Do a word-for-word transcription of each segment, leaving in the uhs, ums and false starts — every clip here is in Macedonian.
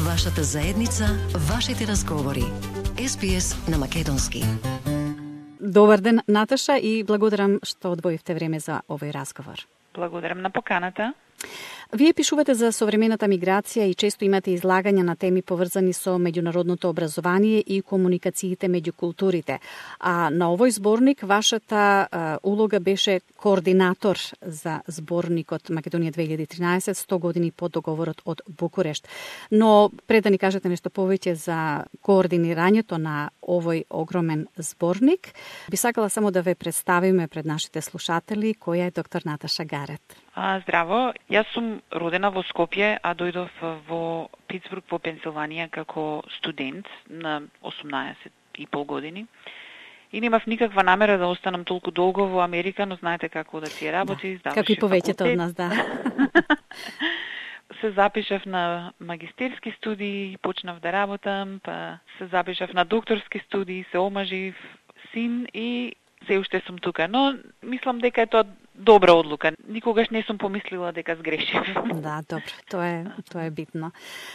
Вашата заедница, вашите разговори. Ес Би Ес на македонски. Добар ден, Наташа, и благодарам што одвоивте време за овој разговор. Благодарам на поканата. Вие пишувате за современата миграција и често имате излагања на теми поврзани со меѓународното образование и комуникациите меѓу културите. А на овој зборник вашата а, улога беше координатор за зборникот Македонија две илјади и тринаесет, сто години по договорот од Букурешт. Но пред да ни кажете нешто повеќе за координирањето на овој огромен зборник, би сакала само да ве представиме пред нашите слушатели која е доктор Наташа Гарет. А, здраво, јас сум родена во Скопје, а дојдов во Питсбург во Пенсилванија како студент на осумнаесет и пол години. И немав никаква намера да останам толку долго во Америка, но знаете како да си работи, да, како и повеќето од нас, да. Се запишав на магистерски студии, почнав да работам, па се запишав на докторски студии, се омажив, син и се уште сум тука, но мислам дека е тоа добра одлука. Никогаш не сум помислила дека сгрешив. Да, добро, тоа е тоа е битно.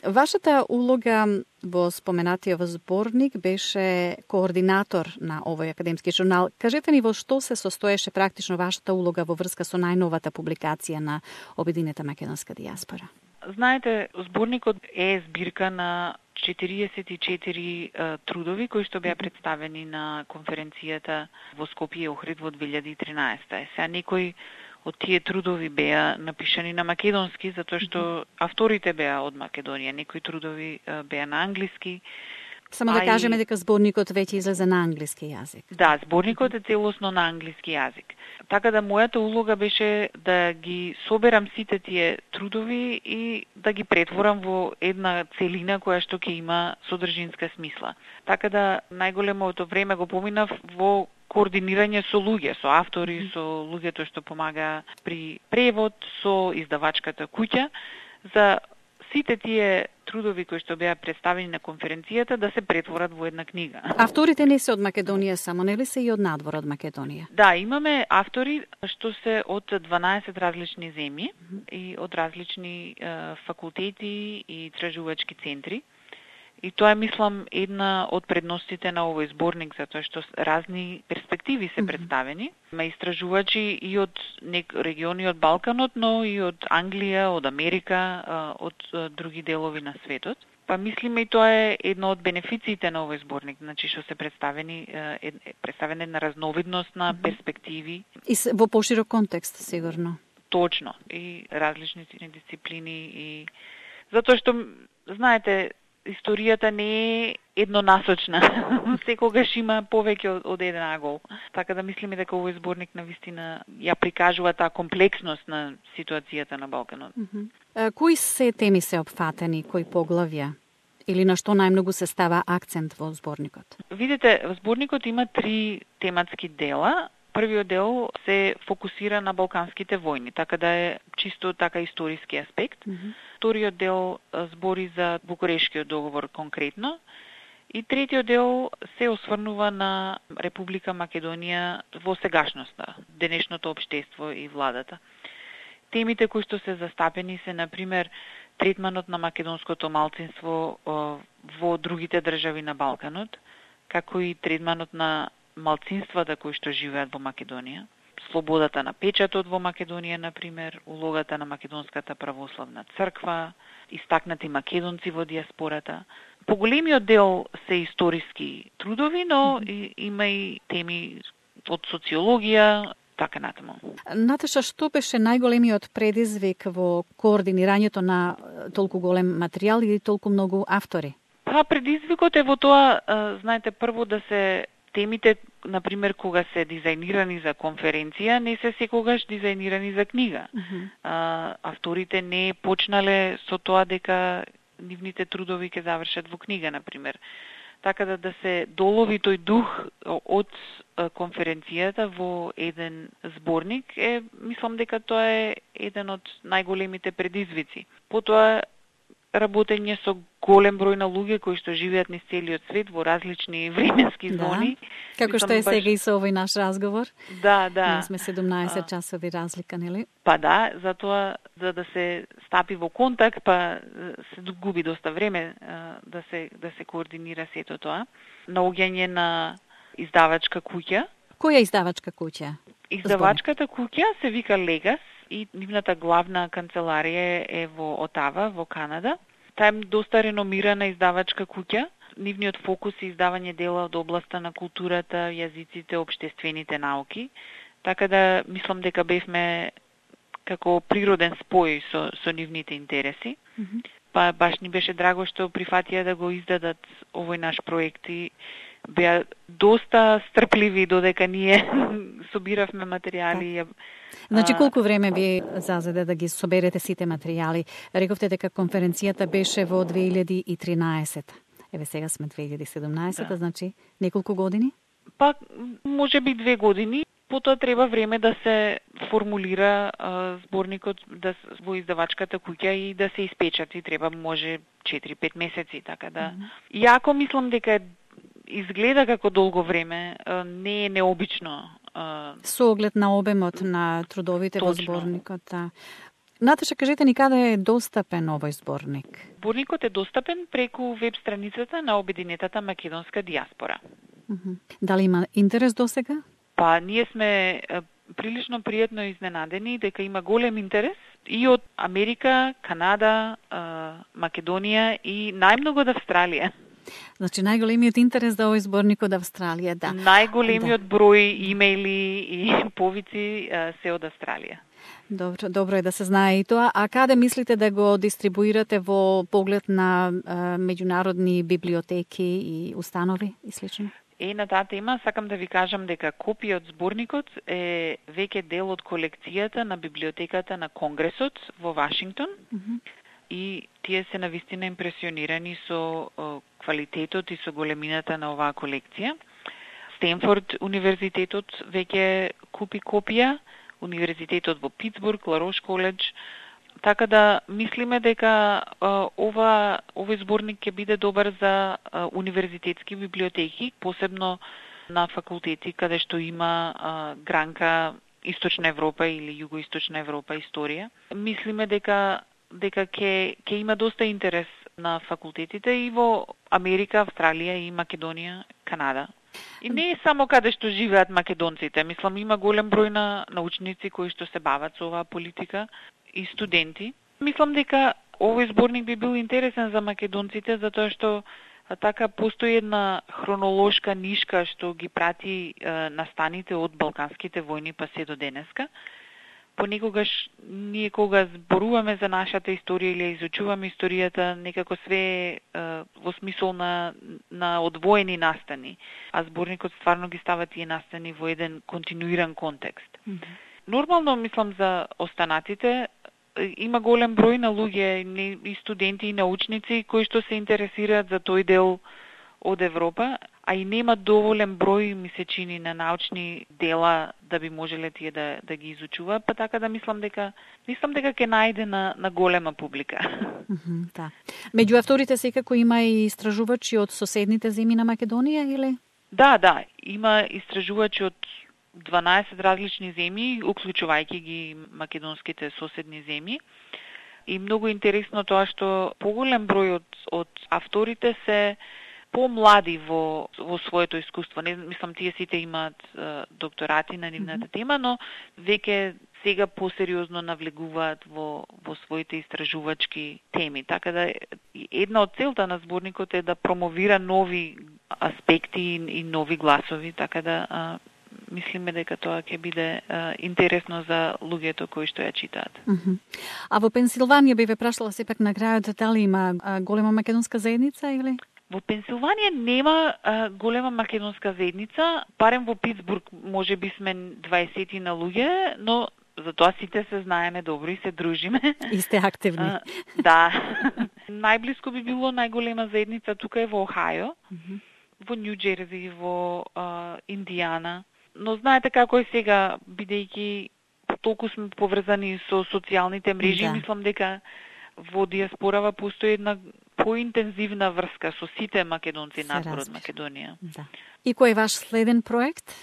Вашата улога во споменатиот зборник беше координатор на овој академски журнал. Кажете ни во што се состоеше практично вашата улога во врска со најновата публикација на Обединета македонска дијаспора? Знаете, зборникот е збирка на четириесет и четири uh, трудови кои што беа представени на конференцијата во Скопје и Охрид во две илјади и тринаесета. Е, сега некои од тие трудови беа напишани на македонски, затоа што авторите беа од Македонија. Некои трудови uh, беа на англиски. Само да кажеме дека зборникот веќе излезе на англиски јазик. Да, зборникот е целосно на англиски јазик. Така да мојата улога беше да ги соберам сите тие трудови и да ги претворам во една целина која што ќе има содржинска смисла. Така да најголемото време го поминав во координирање со луѓе, со автори, со луѓето што помага при превод, со издавачката куќа, за сите тие трудови кои што беа представени на конференцијата да се претворат во една книга. Авторите не се од Македонија само, нели се и од надвор од Македонија? Да, имаме автори што се од дванаесет различни земји mm -hmm. и од различни е, факултети и истражувачки центри. И тоа е, мислам, една од предностите на овој зборник, затоа што разни перспективи се представени. Има истражувачи и од нек региони од Балканот, но и од Англија, од Америка, од други делови на светот. Па мислиме и тоа е едно од бенефициите на овој зборник, значи што се представени е представена една разновидност на перспективи и во поширок контекст сигурно. Точно, и различни дисциплини и затоа што знаете, историјата не е еднонасочна. Секогаш има повеќе од, од еден агол. Така да мислиме дека овој зборник навистина ја прикажува таа комплексност на ситуацијата на Балканот. Mm -hmm. Кои се теми се опфатени, кои поглавја? Или на што најмногу се става акцент во зборникот? Видите, зборникот има три тематски дела. Првиот дел се фокусира на балканските војни, така да е чисто така историски аспект. Mm -hmm. Вториот дел збори за Букурешкиот договор конкретно. И третиот дел се осврнува на Република Македонија во сегашноста, денешното општество и владата. Темите кои што се застапени се, например, третманот на македонското малцинство во другите држави на Балканот, како и третманот на малцинствата кои што живеат во Македонија, слободата на печатот во Македонија, например, улогата на Македонската православна црква, истакнати македонци во диаспората. Поголемиот дел се историски трудови, но и, има и теми од социологија, така натаму. Наташа, што беше најголемиот предизвик во координирањето на толку голем материјал и толку многу автори? Па, предизвикот е во тоа, знаете, прво да се темите, например, кога се дизајнирани за конференција, не се секогаш дизајнирани за книга. Uh -huh. а, авторите не почнале со тоа дека нивните трудови ќе завршат во книга, например. Така да да се долови тој дух од конференцијата во еден зборник, е, мислам дека тоа е еден од најголемите предизвици. Потоа работење со голем број на луѓе кои што живеат низ целиот свет во различни временски да. зони. Како што е баш... сега и со овој наш разговор. Да, да. Ние сме седумнаесет часови разлика, нели? Па да, затоа за да се стапи во контакт, па се губи доста време да се да се координира сето тоа. Наоѓање на издавачка куќа. Која издавачка куќа? Издавачката куќа се вика Легас и нивната главна канцеларија е во Отава, во Канада. Таа е доста реномирана издавачка куќа. Нивниот фокус е издавање дела од областа на културата, јазиците, општествените науки. Така да мислам дека бевме како природен спој со со нивните интереси. Mm-hmm. Па баш ни беше драго што прифатија да го издадат овој наш проект и беа доста стрпливи додека ние собиравме материјали. Значи, колку време ви зазеде да ги соберете сите материјали? Рековте дека конференцијата беше во две илјади и тринаесета. Еве сега сме две илјади и седумнаесета, да. Значи неколку години? Па, може би две години. Потоа треба време да се формулира а, зборникот да, во издавачката куќа и да се испечати. Треба може четири-пет месеци, така да. Mm-hmm. Иако мислам дека изгледа како долго време, а, не е необично. А... Со оглед на обемот на трудовите Точно. Во зборникот. Да. Наташа, кажете ни каде е достапен овој зборник? Зборникот е достапен преку веб страницата на Обединетата македонска дијаспора. Mm-hmm. Дали има интерес досега? Па, ние сме прилично пријатно изненадени дека има голем интерес и од Америка, Канада, Македонија и најмногу од Австралија. Значи, најголемиот интерес за овој зборник од Австралија, да. Најголемиот да. Број имејли и повици се од Австралија. Добро, добро е да се знае и тоа. А каде мислите да го дистрибуирате во поглед на а, меѓународни библиотеки и установи и слично? Е, на таа тема сакам да ви кажам дека копија од зборникот е веќе дел од колекцијата на библиотеката на Конгресот во Вашингтон. Mm-hmm. И тие се навистина импресионирани со о, квалитетот и со големината на оваа колекција. Стенфорд универзитетот веќе купи копија, универзитетот во Питсбург, Ларош коледж. Така да мислиме дека а, ова овој зборник ќе биде добар за а, универзитетски библиотеки, посебно на факултети каде што има а, гранка Источна Европа или Југоисточна Европа историја. Мислиме дека дека ќе ќе има доста интерес на факултетите и во Америка, Австралија и Македонија, Канада. И не е само каде што живеат македонците. Мислам, има голем број на научници кои што се бават со оваа политика и студенти. Мислам дека овој зборник би бил интересен за македонците, затоа што така постои една хронолошка нишка што ги прати е, настаните од Балканските војни па се до денеска. Понекогаш ние кога зборуваме за нашата историја или изучуваме историјата, некако све е во смисол на, на одвоени настани, а зборникот стварно ги става тие настани во еден континуиран контекст. Mm-hmm. Нормално, мислам, за останатите, има голем број на луѓе, и студенти, и научници, кои што се интересираат за тој дел од Европа, а и нема доволен број, ми се чини, на научни дела да би можеле тие да, да ги изучува, па така да мислам дека мислам дека ќе најде на, на голема публика. Mm-hmm, да. Меѓу авторите секако има и истражувачи од соседните земји на Македонија, или? Да, да, има истражувачи од дванаесет различни земји, уклучувајќи ги македонските соседни земји. И многу интересно тоа што поголем број од, од авторите се помлади во во своето искуство. Не мислам тие сите имаат е, докторати на нивната mm-hmm. тема, но веќе сега посериозно навлегуваат во во своите истражувачки теми. Така да една од целта на зборникот е да промовира нови аспекти и, и нови гласови, така да а, мислиме дека тоа ќе биде а, интересно за луѓето кои што ја читаат. Mm-hmm. А во Пенсилванија би ве прашала сепак на крајот дали има а, голема македонска заедница или? Во Пенсилванија нема а, голема македонска заедница, барем во Питсбург може би сме дваесет на луѓе, но за тоа сите се знаеме добро и се дружиме. И сте активни. А, да. Најблиско би било најголема заедница тука е во Охајо, mm-hmm. во Нью Џерси, во а, Индијана. Но знаете како е сега, бидејќи толку сме поврзани со социјалните мрежи, да. Мислам дека во диаспорава постои една поинтензивна врска со сите македонци надвор од Македонија. Да. И кој е ваш следен проект?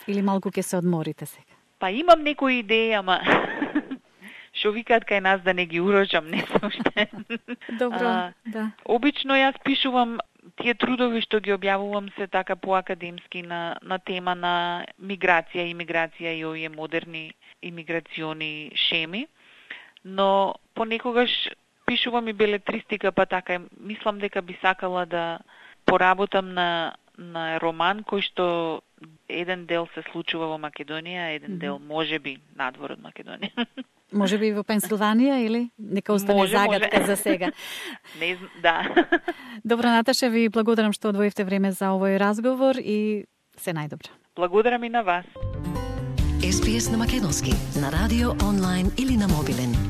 Или малку ќе се одморите сега? Па имам некои идеи, ама што викаат кај нас да не ги урочам, не се уште. Добро, а, да. Обично јас пишувам тие трудови што ги објавувам се така поакадемски на, на тема на миграција, имиграција и овие модерни имиграциони шеми, но понекогаш пишувам и белетристика, па така мислам дека би сакала да поработам на на роман кој што еден дел се случува во Македонија, еден дел можеби надвор од Македонија. Може би во Пенсилванија или нека остане може, загадка може. за сега. Не, да. Добро, Наташа, ви благодарам што одвоивте време за овој разговор и се најдобро. Благодарам и на вас. Ес Би Ес на македонски, на радио, онлайн или на мобилен.